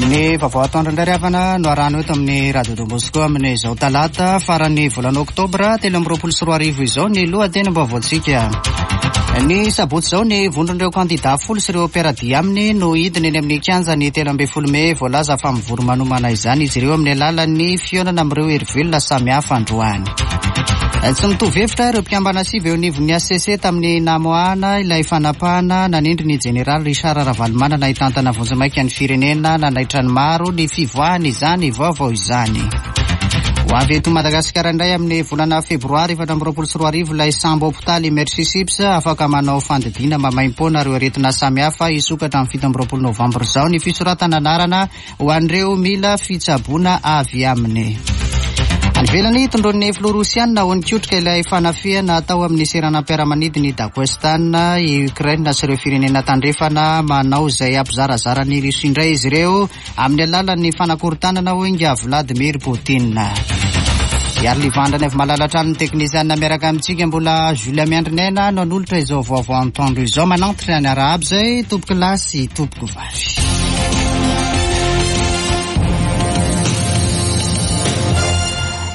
Ny vaovao atoandro indray ry havana no arahana eto amin'ny Radio Don Bosco amin'izao talata faran'ny volana oktobra 2023 izao ny lohatenim-baovaontsika. Ny sabotsy izao ny vondron'ireo kandida folo sy ireo mpiara-dia aminy no hidina eny amin'ny kianjan'ny 13 mey. Voalaza fa mivory manomana izany izy ireo amin'ny alalan'ny fihaonana amin'ireo herivelona samihafa androany. Tsy mitovy hevitra ireo mpikambana sivy eo anivon'ny HCC tamin'ny namoahana ilay fanapahana nanendry ny jeneraly Richard Ravalomanana hitantana vonjimaika ny firenena. Nanaitra ny maro ny fivoahany izany vaovao izany. Ho avy eto Madagasikara indray amin'ny volana febroary 2024 ilay sambo hopitaly Mercy Ships afaka manao fandidiana maimaimpoana ireo aretina samihafa. Hisokatra amin'ny 27 novambra izao ny fisoratana anarana ho an'ireo mila fitsaboana avy aminy. Any ivelany, tondroin'ny filoha rosianina ho nikotrika ilay fanafihana atao amin'ny seranam-piaramanidin'i Dagestan i Ukraine sy ireo firenena tandrefana. Manao izay hampizarazara an'i Russie indray izy ireo amin'ny alalan'ny fanakorontanana, hoy ingahy Vladimir Poutine. Hiary Livandrany avy malala hatrany ny teknisianina miaraka amintsika. Mbola Jules Miandrinaina no hanolotra izao vaovao antoandro izao. Manantitra ny arahaba izay tompoko lahy sy tompoko vavy.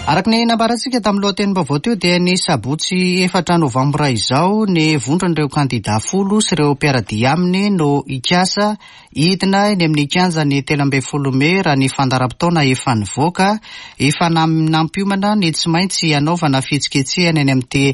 Araka ny nambarantsika tamin'ny lohatenim-baovao teo dia ny sabotsy efatra novambra izao ny vondron'ireo kandida folo sy ireo mpiara-dia aminy no hikasa hidina eny amin'ny kianjan'ny 13 mey raha ny fandaharam-potoana efa nivoaka. Efa nampiomana ny tsy maintsy hanaovana fihetsiketsehana eny amin'ity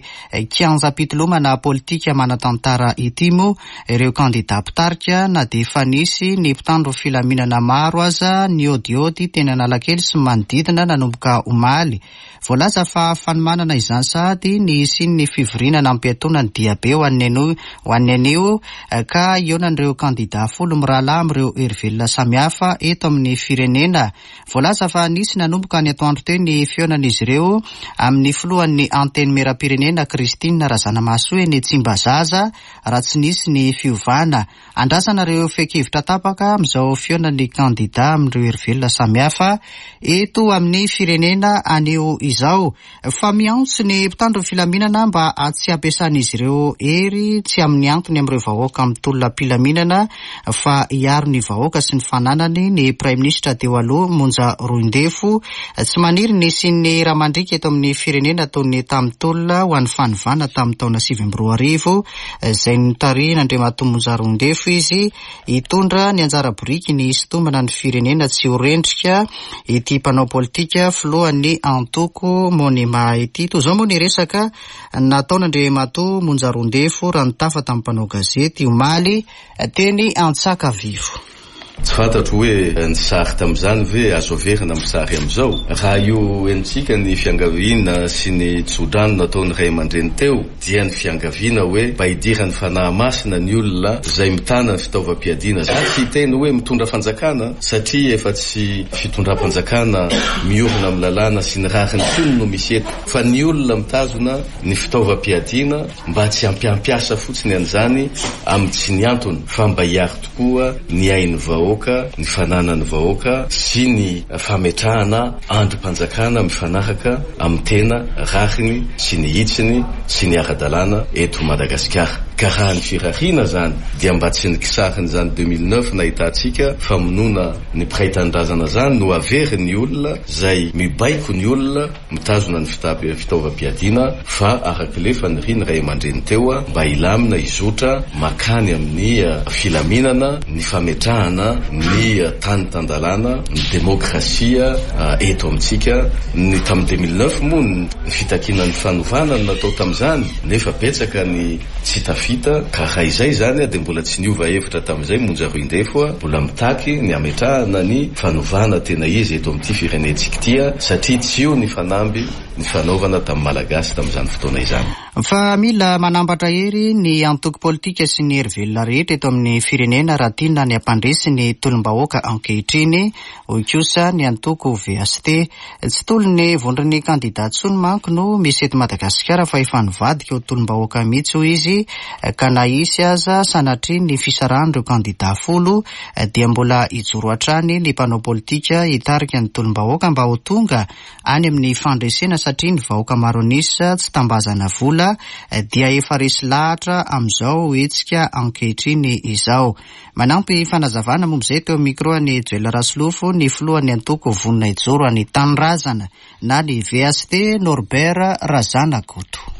kianjam-pitolomana politika manan-tantara ity moa ireo kandida mpitarika na dia efa nisy ny mpitandro filaminana maro aza niodiody teny Analakely sy ny manodidina nanomboka omaly. Voalaza fa fanomanana izany sahady ny hisian'ny fivoriana nampiatoana ny diabe ho an'ny ho an'ny anio ka hihaonan'ireo kandida folo mirahalahy amin'ireo herivelona samihafa eto amin'ny firenena. Voalaza fa nisy nanomboka ny atoandro teo ny fihaonan'izy ireo amin'ny filohan'ny Antenimierampirenena Christine Razanamahasoa eny Tsimbazaza raha tsy nisy ny fiovana. Andrasana ireo fehin-kevitra tapaka amin'izao fihaonan'ny kandida amin'ireo herivelona samihafa eto amin'ny firenena anio izao. Fa miantso ny mpitandro ny filaminana mba tsy hampiasan'izy ireo hery tsy amin'ny antony amin'ireo vahoaka mitolona am-pilaminana fa hiaro ny vahoaka sy ny fananany ny Praiminisitra teo aloha Monja Roindefo. Tsy maniry ny hisian'ny ra mandriaka eto amin'ny firenena toy ny tamin'ny tolona ho an'ny fanovana tamin'ny taona 2009 izay notarihin'Andriamatoa Monja Roindefo izy Hitondra ny anjara biriky ny hisintomana ny firenena tsy ho rendrika ity mpanao politika filohan'ny antoko Monima ity. Toy izao moa ny resaka nataon'Andriamatoa Monja Roindefo raha nitafa tamin'ny mpanao gazety omaly teny Antsakavivo. Tsy fantatro hoe ny sary tamin'izany ve azo averina amin'ny sary amin'izao? Raha io henontsika ny fiangaviana sy ny tsodrano nataon'ny ray aman-dreny teo dia ny fiangaviana hoe mba hidiran'ny Fanahy Masina ny olona izay mitana ny fitaovam-piadiana. Za tsy hiteny hoe mitondra fanjakana satria efa tsy fitondram-panjakana miorina amin'ny lalàna sy ny rariny intsony no misy eto fa ny olona mitazona ny fitaovam-piadiana mba tsy hampiampiasa fotsiny an'izany amin'ny tsy ny antony fa mba hiaro tokoa ny ain'ny vahoaka, ny fananan'ny vahoaka sy ny fametrahana andrim-panjakana mifanaraka amin'ny tena rariny sy ny hitsiny sy ny ara-dalàna eto Madagasikara. Ka raha ny firariana izany dia mba tsy ny kisarin'izany 2009 nahitantsika famonoana ny mpiray tanindrazana izany no averin'ny olona izay mibaiko ny olona mitazona ny fitaovam-piadiana fa araka ilay fanirian'ny ray aman-dreny teo mba hilamina hizotra makany amin'ny filaminana ny fametrahana ny tany tan-dalàna ny demokrasia eto amintsika. Ny tamin'ny 2009 moa ny fitakiana ny fanovana no natao tamin'izany nefa betsaka ny Tsy tafita, ka raha izay izany dia mbola tsy niova hevitra tamin'izay Monja Roindefo, mbola mitaky ny hametrahana ny fanovana tena izy eto amin'ity firenentsika ity satria tsy io ny fanamby nifanaovana tamin'ny Malagasy tamin'izany fotoana izany. Fa mila manambatra hery ny antoko politika sy ny hery velona rehetra eto amin'ny firenena raha tiana ny hampandresy ny tolom-bahoaka ankehitriny, hoy kosa ny antoko VHT. Tsy tolon'ny vondron'ny kandida intsony manko no misy eto Madagasikara fa efa nivadika ho tolom-bahoaka mihitsy hoy izy ka na hisy aza sanatria ny fisarahan'ireo kandida folo dia mbola hijoro hatrany ny mpanao politika hitarika ny tolom-bahoaka mba ho tonga any amin'ny fandresena. satria ny vahoaka maro an'isa tsy tambazana vola dia efa resy lahatra amin'izao hetsika ankehitriny izao. Manampy fanazavana momba izay teo amin'ny micro an'i Joel Rasolofo ny filohan'ny antoko Vonona Hijoro an'i Tanindrazana na ny VHT Norbert Razanakoto.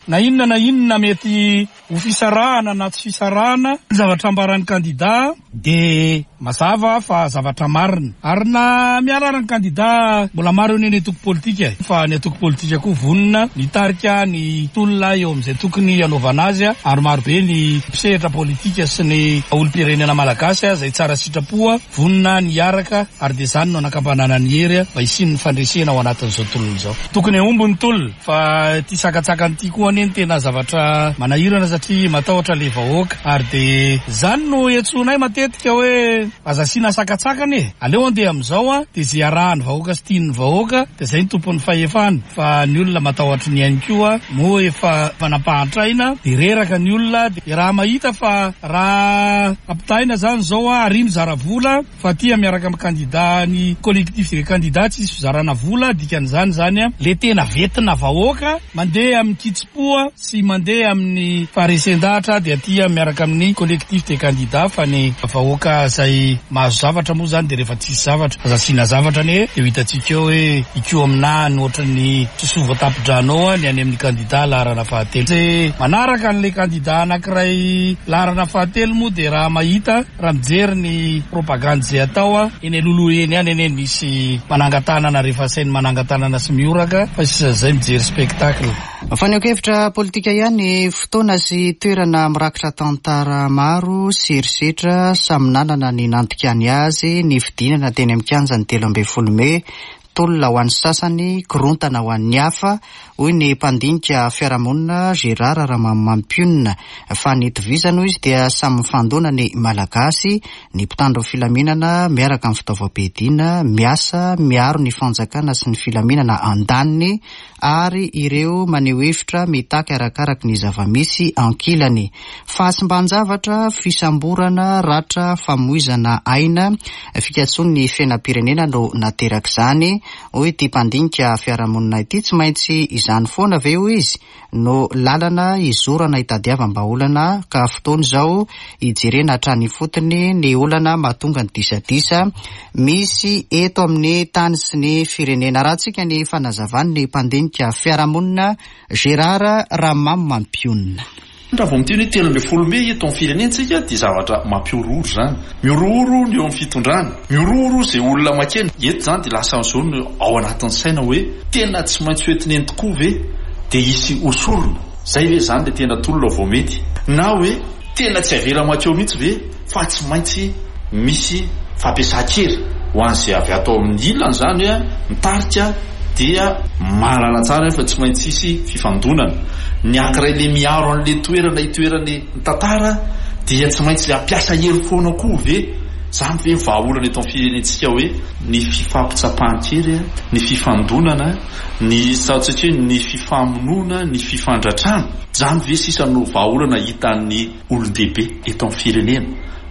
Na inona na inona mety ho fisarahana na tsy fisarahana, ny zavatra ambaran'ny kandida dia mazava fa zavatra marina. Ary na miala ary ny kandida, mbola maro anie ny antoko politika e! Fa ny antoko politika koa vonona mitarika ny tolona eo amin'izay tokony hanaovana azy ary marobe ny mpisehatra politika sy ny olom-pirenena malagasy izay tsara sitrapo vonona ny hiaraka ary dia izany no anakambanana ny hery mba hisian'ny fandresena ao anatin'izao tolona izao. Tokony hahomby ny tolona. Fa ity sakantsakana ity koa anie no tena zavatra manahirana satria matahotra le vahoaka ary de zany no iantsoanay matetika hoe aza asiana sakantsakana e! Aleo andeha amin'izao an, de ze arahan'ny vahoaka sy tian'ny vahoaka de zay no tompon'ny fahefana fa ny olona matahotry ny ainy koa moa efa nampahantraina de reraka ny olona de raha mahita fa raha ampitahaina zany zao an ary mizara vola Fa aty miaraka am kandida ny collectif des candidats tsisy fizarana vola dikan'izany zany le tena vetina vahoaka mandeha amin'ny kitsim-po sy mandeha amin'ny faharesen-dahatra dia aty miaraka amin'ny collectif des candidats fa ny vahoaka zay mahazo zavatra moa zany dia rehefa tsisy zavatra aza asiana zavatra anie dia ho hitantsika eo hoe hikoa aminà ny ohatran'ny sosoa voatapi-drano ao ny any amin'ny kandida laharana fahatelo. Ze manaraka an'le kandida anankiray laharana fahatelo moa dia raha mahita Raha mijery ny propagandy izay atao eny alohaloha eny ihany anie misy manangan-tanana rehefa asainy manangan-tanana sy mihoraka fa sisa izay mijery spectacle. Fanehoan-kevitra politika ihany, fotoana sy toerana mirakitra tantara maro sy herisetra samy nanana ny nandikany azy ny fidinana teny amin'ny kianjan'ny 13 mey Tolona ho an'ny sasany, korontana ho an'ny hafa, hoy ny mpandinika fiarahamonina Gérard Ramamimampionona. Fa ny itovizany, hoy izy, dia samy mifandona ny Malagasy, ny mpitandro ny filaminana miaraka amin'ny fitaovam-piadiana, miasa miaro ny fanjakana sy ny filaminana andaniny, ary ireo maneho hevitra mitaky arakaraky ny zava-misy ankilany. Fahasimban-javatra, fisamborana, ratra, famoizana aina, fikatsoan'ny fiainam-pirenena no naterak'izany, hoy ity mpandinika fiarahamonina ity. Tsy maintsy izany foana ve, hoy izy, no lalana hizorana hitadiavam-bahaolana ka fotoana izao hijerena hatrany ifotony ny olana mahatonga ny disadisa misy eto amin'ny tany sy ny firenena. Arahantsika ny fanazavan'ny mpandinika fiarahamonina Gérard Ramamimampionona. Raha vao miteny hoe 13 mey eto amin'ny firenentsika dia zavatra mampihorohoro izany. Mihorohoro ny eo amin'ny fitondrana, mihorohoro izay olona makeny. Eto izany dia lasa amin'izao no ao anatin'ny saina hoe tena tsy maintsy ho entina eny tokoa ve dia hisy hosorona? Izay ve izany ilay tena tolona vao mety? Na hoe tena tsy avela makeo mihitsy ve fa tsy maintsy misy fampiasan-kery ho an'izay avy ato amin'ny ilany izany hoe mitarika dia mahalala tsara fa tsy maintsy hisy fifandonana. Ny ankiray le miaro an'le toerana itoeran'ny tantara dia tsy maintsy hampiasa hery foana koa ve? Izany ve ny vahaolana eto amin'ny firenentsika hoe ny fifampitsapan-kery, ny fifandonana, ny ataontsika hoe ny fifamonoana, ny fifandratrana? Izany ve sisa no vahaolana hitan'ny olon-dehibe eto amin'ny firenena,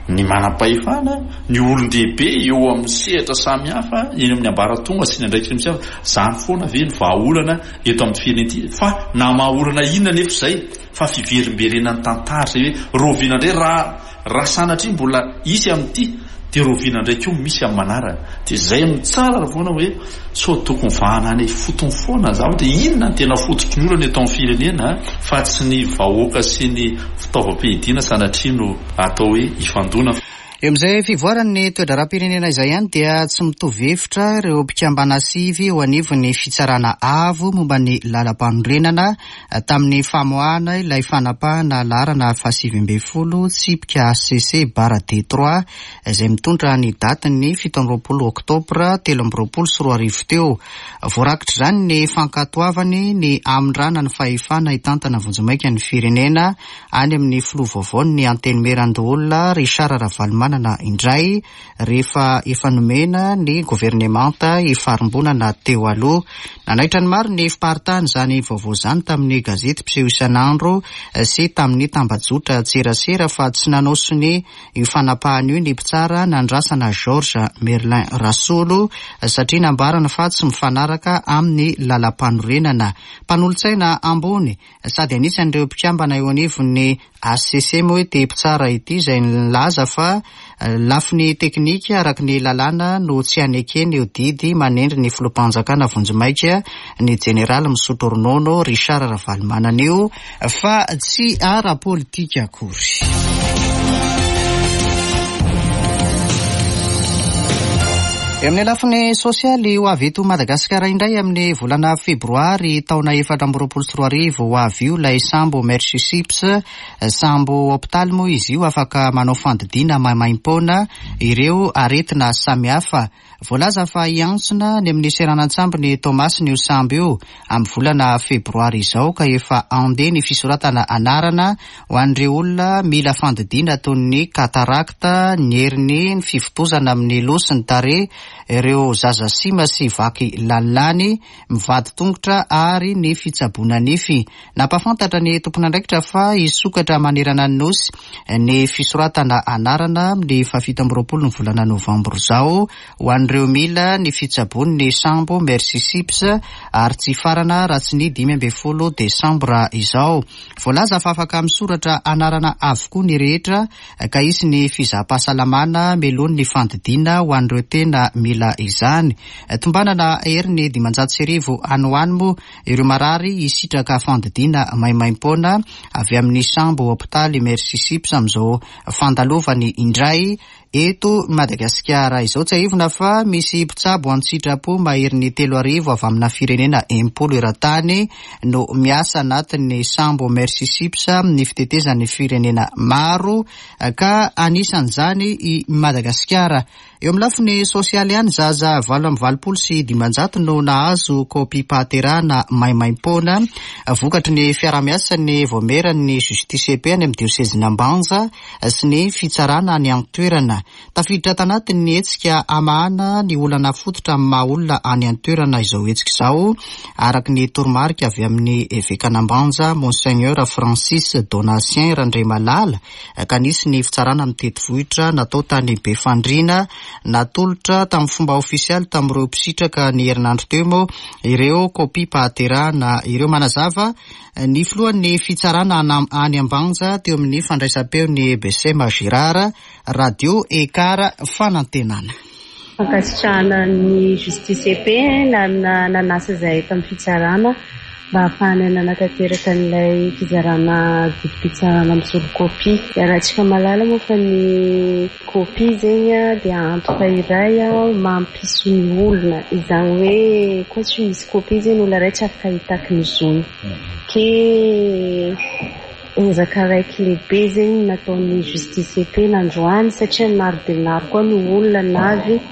ny manam-pahefana, ny olon-dehibe eo amin'ny sehatra samihafa, eny amin'ny ambaratonga sy ny andraikitra misy hafa, izany foana ve ny vahaolana eto amin'ny firenena ity? Fa na maha-olana inona anefa izay fa fiverimberenan'ny tantara izay hoe rahoviana indray raha Raha sanatria mbola hisy amin'ity dia rahoviana indray koa misy amin'ny manaraka. Dia izay no tsara foana hoe sao tokony vahana any ifotony foana ny zavatra. Inona no tena fototry ny olana eto amin'ny firenena fa tsy ny vahoaka sy ny fitaovam-piadiana sanatria no atao hoe hifandona. Eo amin'izay fivoaran'ny toe-draharaham-pirenena izay ihany dia tsy mitovy hevitra ireo mpikambana sivy eo anivon'ny Fitsarana Avo momba ny Lalampanorenana Tamin'ny famoahana ilay fanapahana laharana faha-19 tsipika HCC barre D trois izay mitondra ny datin'ny 27 oktobra 2023 teo. Voarakitr'izany ny fankatoavany ny hamindrana ny fahefana hitantana vonjimaika ny firenena any amin'ny filoha vaovaon'ny Antenimierandoholona Richard Ravalomanana. Ravalomanana indray rehefa efa nomena ny governemanta ifarimbonana teo aloha. Nanaitra ny maro ny fiparitahan'izany vaovao izany tamin'ny gazety mpiseho isan'andro sy tamin'ny tambajotran-tserasera fa tsy nanao sonia io fanapahana io ny mpitsara nandrasana Georges Merlin Rasolo satria nambarany fa tsy mifanaraka amin'ny lalampanorenana. Mpanolotsaina ambony sady anisan'ireo mpikambana eo anivon'ny HCC moa ity mpitsara ity izay nilaza fa lafiny teknika araka ny lalàna no tsy hanekeny io didy manendry ny filoham-panjakana vonjimaika ny jeneraly misotro ronono Richard Ravalomanana io fa tsy ara-politika akory. Eo amin'ny lafiny sosialy, ho avy eto Madagasikara indray amin'ny volana febroary taona 2024 ho avy io ilay sambo Mercy Ships. Sambo hopitaly moa izy io, afaka manao fandidiana maimaimpoana ireo aretina samihafa. Voalaza fa hiantsona any amin'ny seranan-tsambon'i Toamasina io sambo io amin'ny volana febroary izao ka efa handeha ny fisoratana anarana ho an'ireo olona mila fandidiana toy ny katarakta, ny heriny, ny fivontosana amin'ny loha sy ny tarehy, ireo zaza sima sy vaky lalilany, mivadi-tongotra ary ny fitsaboana nify. Nampahafantatra ny tompon'andraikitra fa hisokatra manerana ny Nosy ny fisoratana anarana amin'ny fahafito amby roapolo ny volana novambra izao ho an'ireo mila ny fitsaboan'ny sambo Mercy Ships ary tsy hifarana raha tsy ny 15 desambra izao. Voalaza fa afaka misoratra anarana avokoa ny rehetra ka hisy ny fizaham-pahasalamana mialoha ny fandidiana ho an'ireo tena mila izany. Tombanana heriny 1500 any ho any moa ireo marary hisitraka fandidiana maimaimpoana avy amin'ny sambo hopitaly Mercy Ships amin'izao fandalovany indray eto Madagasikara izao. Tsiahivina fa misy mpitsabo an-tsitrapo maherin'ny 3000 avy amina firenena 60 eran-tany no miasa anatin'ny sambo Mercy Ships amin'ny fitetezan'ny firenena maro ka anisan'izany i Madagasikara. Eo amin'ny lafiny sosialy ihany, zaza 588 no nahazo kopiam-pahaterahana maimaimpoana vokatry ny fiaraha-miasan'ny vaomieran'ny Justice et Paix any amin'ny diosezin'Ambanja sy ny fitsarana any an-toerana. Tafiditra tanatin'ny hetsika hamahana ny olana fototra amin'ny maha olona any an-toerana izao hetsika izao, araka ny toromarika avy amin'ny evekan'Ambanja, Monseigneur Francis Donatien Randriamalala, ka nisy ny fitsarana mitety vohitra natao tany Befandriana. Natolotra tamin'ny fomba ofisialy tamin'ireo mpisitraka ny herinandro teo moa ireo kopiam-pahaterahana ireo. Manazava ny filohan'ny fitsarana any Ambanja teo amin'ny fandraisam-peon'ny Besema Girard, Radio Ekar Fanantenana. Fankasitrahana ny Justice et Paix nanasa izahay tamin'ny fitsarana mba hahafahanay nanatanteraka an'ilay fizarana didim-pitsarana misolo kopia. Iarahantsika mahalala moa fa ny kopia zegny dia antoka iray mampisy ny olona, izany hoe koa tsy misy kopia zegny ny olona iray tsy afaka hitaky ny zony. Ke ezaka araiky lehibe zegny nataon'ny Justice et Paix nandroany satria maro dia maro koa ny olona navy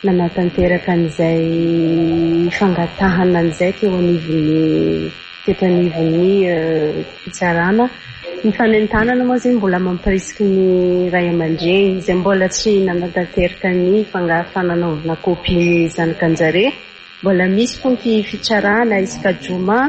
nanatanteraka an'izay fangatahana an'izay teo anivon'ny teto anivon'ny fitsarana. Ny fanentanana moa zegny mbola mampirisiky ny ray aman-dreny izay mbola tsy nanatanteraka ny fananaovana kopia ny zanakan-jare. Mbola misy koa ny fitsarana isaka joma.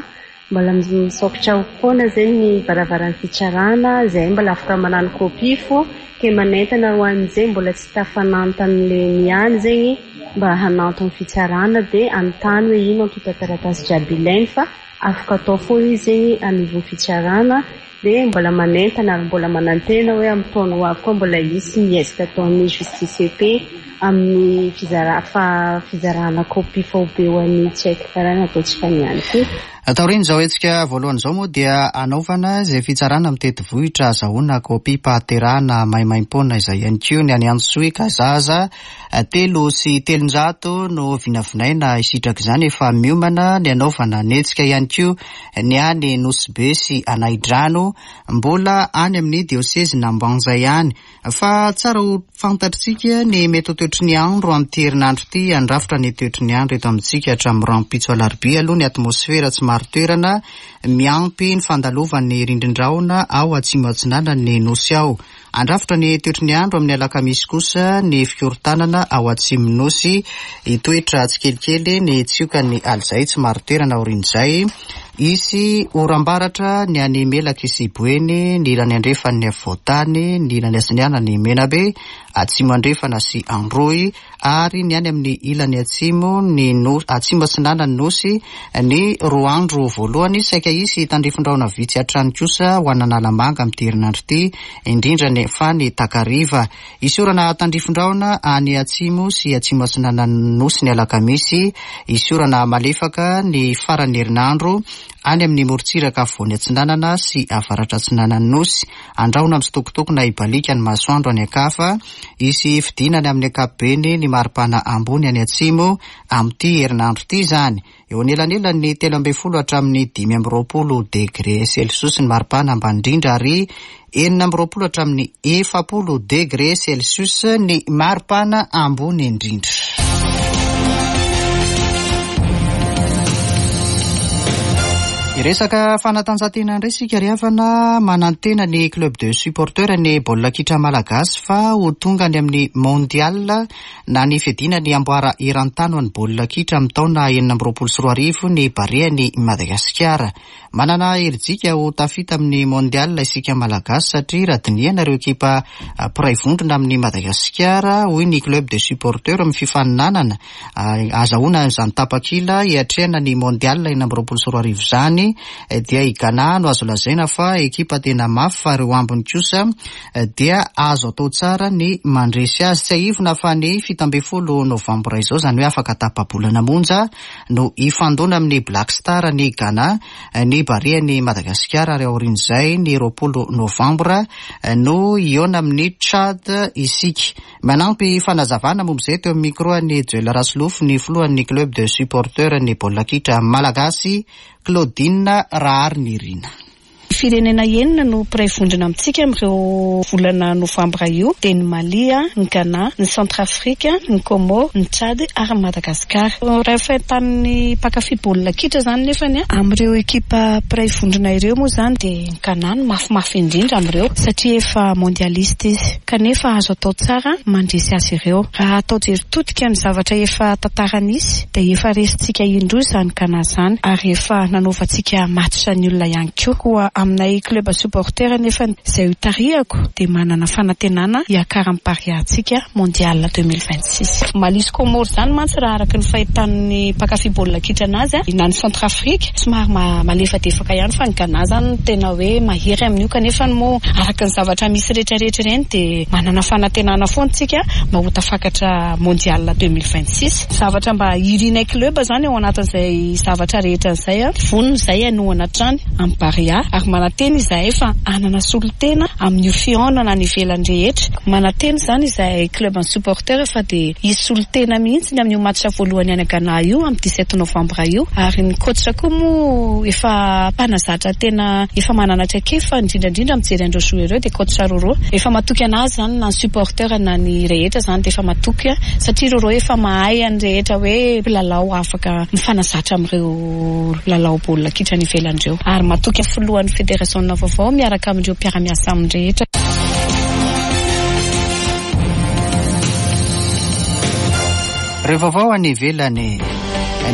Mbola misaokitra foana zegny ny varavaran'ny fitsarana, zahay mbola afaka manano copie fô ke manentana ho an'izay mbola tsy tafananto amle niany zegny mba hananto amin'ny fitsarana de anontany hoe ino antontan-taratasy jiaby ilainy fa afaka atao foana izy zegny anivon'ny fitsarana. Dia mbola manentana ary mbola manantena hoe amin'ny taona ho avy koa mbola hisy ny ezaka ataon'ny Justice et Paix amin'ny fizarana kopia faobe ho an'ny tsy haiko karaha nataontsika niany koa. Taorian'izao hetsika voalohany izao moa dia hanaovana izay fitsarana mitety vohitra ahazahoana kopiam-pahaterahana maimaimpoana izay ihany koa ny any Antsohihy ka zaza 303 no vinavinaina hisitraka izany. Efa miomana ny hanaovana ny hetsika ihany koa ny any Nosy Be sy Anahidrano, mbola any amin'ny diosezin'Ambanja ihany. Fa tsara ho fantatritsika ny mety ho toetry ny andro amin'ity herinandro ity. Handrafitra ny toetry ny andro eto amintsika hatramin'ny rahampitso alarobia aloha ny atmosfera tsy marin-toerana, miampy ny fandalovan'ny rindrin-drahona ao atsimo atsinanan'ny Nosy ao. Handrafitra ny toetry ny andro amin'ny alakamisy kosa ny fikorontanana ao atsimon'ny Nosy. Hitoetra tsikelikely ny tsiokan'ny alizay tsy marin-toerana aorian'izay. Hisy oram-baratra ny any Melaky sy Boeny, ny ilany andrefan'ny afovoan-tany, ny ilany atsinanan'i Menabe, atsimo andrefana sy Androy, ary ny any amin'ny ilany atsimo ny nosy, atsimo atsinanan'ny nosy, ny roa andro voalohany. Saika hisy tandrifin-drahona vitsy hatrany kosa ho an'Analamanga amin'ity herinandro ity, indrindra ny fa ny takariva. Hisy orana tandrifin-drahona any atsimo sy atsimo atsinanan'ny nosy ny alakamisy. Hisy orana malefaka ny faran'ny herinandro any amin'ny morontsiraka afovoany atsinanana sy avaratra atsinanan'ny nosy. Andrahona mitsitokotoko na hibaliaka ny masoandro any an-kafa. Hisy fidinana amin'ny ankapobeny ny maripana ambony any atsimo amin'ity herinandro ity izany. Eo anelanelan'ny 13 hatramin'ny 25 degre celsius ny maripana ambany indrindra ary 26 hatramin'ny 40 degre celsius ny maripana ambony indrindra. Hiresaka fanatanjahantena indray isika ry havana. Manantena ny club de supporters ny baolina kitra malagasy fa ho tonga any amin'ny Mondial na ny fiadiana ny amboara eran-tany ho an'ny baolina kitra amin'ny taona 2026 ny Barean'i Madagasikara. Manana herijika ho tafita amin'ny Mondial isika Malagasy satria raha dinihana ireo ekipa mpiray vondrona amin'i Madagasikara, hoy ny club de supporteurs amin'ny fifaninanana ahazahoana izany tapakila hiatrehana ny Mondial 2026 izany dia i Ghana no azo lazaina fa ekipa tena mafy fa ireo ambiny kosa dia azo atao tsara ny mandresy azy. Tsiahivina fa ny 17 novambra izao, izany hoe afaka tapa-bolana monja, no hifandona amin'ny Black Star ny Ghana, ny Barean'i Madagasikara ary aorian'izay ny 20 novambra no hihaona amin'ny Tchad isika. Manampy fanazavana momba izay teo amin'ny micro an'i Joel Rasolofo ny filohan'ny Club de Supporteurs ny baolina kitra Malagasy, Claudine Raharinirina. Firenena enina no mpiray vondrona amintsika amin'ireo volana novambra io dia ny Mali, ny Ghana, ny Centrafrique, ny Comores, ny Tchad ary ny Madagasikara. Raha fahitan'ny mpankafy baolina kitra izany nefany amin'ireo ekipa mpiray vondrona ireo moa izany dia ny Ghana no mafimafy indrindra amin'ireo satria efa mondialiste izy kanefa azo atao tsara ny mandresy azy ireo. Raha atao jery todika ny zavatra efa tantara nisy dia efa resintsika indroa izany Ghana izany ary efa nanaovantsika match ny olona ihany koa. Koa aminay club supporter anefa izay ho tarihako dia manana fanantenana hiakaran'ny Barea-ntsika mondial 2026. Mali sy Comores izany mantsy raha araka ny fahitan'ny mpankafy baolina kitra anazy na ny Centrafrique somary malefadefaka ihany fa ny Ghana izany no tena hoe mahery amin'io kanefa moa araka ny zavatra misy rehetrarehetra ireny dia manana fanantenana foana isika mba ho tafakatra mondial 2026. Zavatra mba irinay club izany ao anatin'izay zavatra rehetra izay, vonona izahay hanohana hatrany amin'ny Barea ary manantena izahay fa hanana solontena amin'io fihaonana any ivelany rehetra. Manantena izany izahay club ny supporter fa dia hisy solontena mihitsy ny amin'io match voalohany any Ghana io amin'ny 17 novembre io ary ny coach koa moa efa mpanazatra tena efa manana traikefa indrindra indrindra mijery an'ireo joueurs ireo dia coach Roro efa matoky anazy izany na ny supporter na ny rehetra izany dia efa matoky satria Roro efa mahay an'ny rehetra hoe mpilalao afaka mifanazatra amin'ireo lalao baolina kitra any ivelany ireo ary matoky ny filohan'ny federasiona vaovao miaraka amin'ireo mpiara-miasa aminy rehetra. Ireo vaovao any ivelany.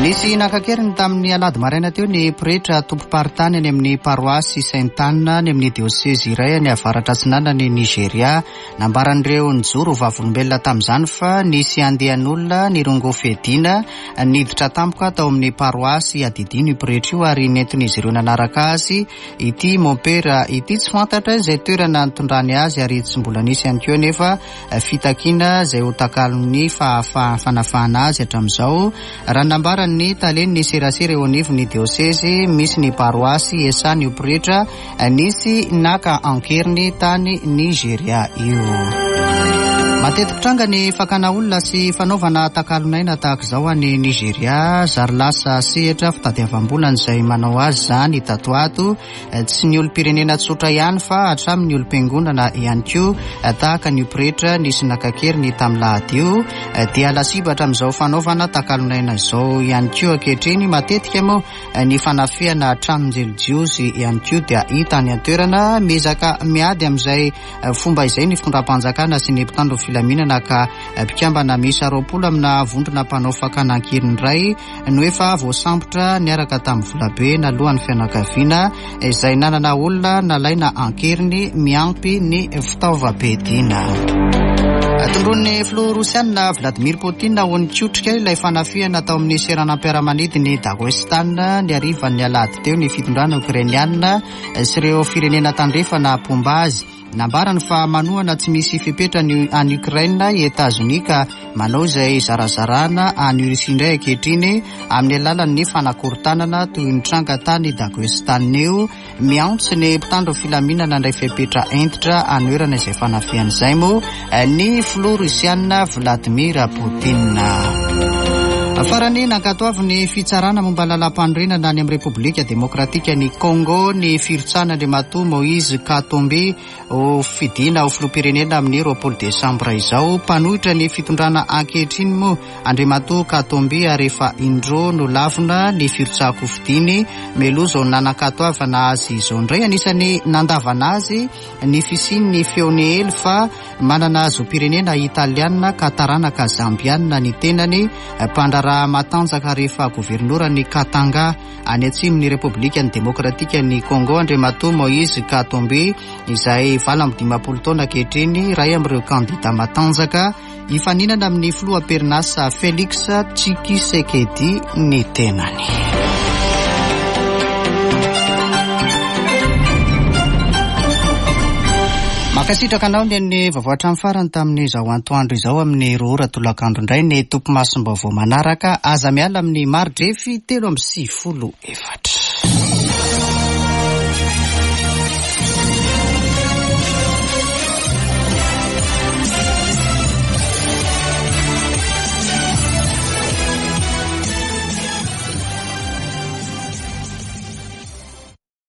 Nisy naka an-keriny tamin'ny alahady maraina teo ny pretra tompom-paritany any amin'ny paroasy Sainte Anne any amin'ny diosezy iray any avaratra atsinanan'i Nigeria. Nambaran'ireo nijoro ho vavolombelona tamin'izany fa nisy andian'olona nirongo fiadiana niditra tampoka tao amin'ny paroasy iadidiany io pretra io ary nentin'izy ireo nanaraka azy ity mompera ity. Tsy fantatra izay toerana nitondrany azy ary tsy mbola nisy ihany koa anefa fitakiana izay ho takalon'ny fanafahana azy hatramin'izao, raha ny nambaran'ny talen'ny serasera eo anivon'ny diosezy misy ny paroasy Esany io pretra nisy naka an-keriny tany Nigeria io. Mateti-pitranga ny fakana olona sy fanaovana takalon'aina tahaka izao any Nigeria. Zary lasa sehatra fitadiavam-bola izay manao azy izany tato ato. Tsy ny olom-pirenena tsotra ihany fa hatramin'ny olom-piangonana ihany koa tahaka an'io pretra nisy naka an-keriny tamin'ny lahady io dia lasibatra amin'izao fanaovana takalon'aina izao ihany koa ankehitriny. Matetika moa Ny fanafihana tranon-jelijiozy ihany koa dia hita any an-toerana. Miezaka miady amin'izay fomba izay ny fitondram-panjakana sy ny mpitandro filaminana ka mpikambana miisa 20 amina vondrona mpanao fakana an-keriny iray no efa voasambotra niaraka tamin'ny volabe naloan'ny fianakaviana izay nanana olona nalaina an-keriny miampy ny fitaovam-piadiana. Tondroin'ny filoha rosianina Vladimir Poutine ho nikotrika ilay fanafihana tao amin'ny seranam-piaramanidin'i Daghestan ny harivan'ny alahady teo ny fitondrana okrainianina sy ireo firenena tandrefana mpomba azy. Nambarany fa manohana tsy misy fepetra ny an'i Ukraine i Etazonia ka manao izay hizarazarana an'i Russie indray ankehitriny amin'ny alalan'ny fanakorontanana toy ny tranga tany Daghestan io. Miantso ny mpitandro filaminana handray fepetra hentitra hanoherana izay fanafihana izay moa ny filoha Rosiana Vladimir Poutine. Farany, nankatoavin'ny fitsarana momba ny lalàmpanorenana any amin'ny Repoblika Demokratikan'i Congo ny firotsahan'Andriamatoa Moïse Katumbi ho fidiana ho filoham-pirenena amin'ny 20 desambra izao. Mpanohitra ny fitondrana ankehitriny moa Andriamatoa Katumbi ary efa indroa nolavina ny firotsahan-kofidiny mialoha izao nanan-katoavana azy izao indray. Anisan'ny nandavana azy ny fisian'ny feo niely fa manana zom-pirenena italiana ka taranaka zambiana ny tenany, mpandraharaha matanjaka ary efa governoran'i Katanga any atsimon'ny Repoblikan'ny Demokratikan'i Congo Andriamatoa Moïse Katumbi izay 58 taona ankehitriny, iray amin'ireo kandida matanjaka Hifaninana amin'ny filoha am-perinasa Felix Tshisekedi ny tenany. Mankasitraka anao ny an'ny vaovao hatramin'ny farany tamin'izao antoandro izao amin'ny 2 ora tolakandro indray ny tompomasom-baovao manaraka. Aza miala amin'ny mari-drefy 93 4.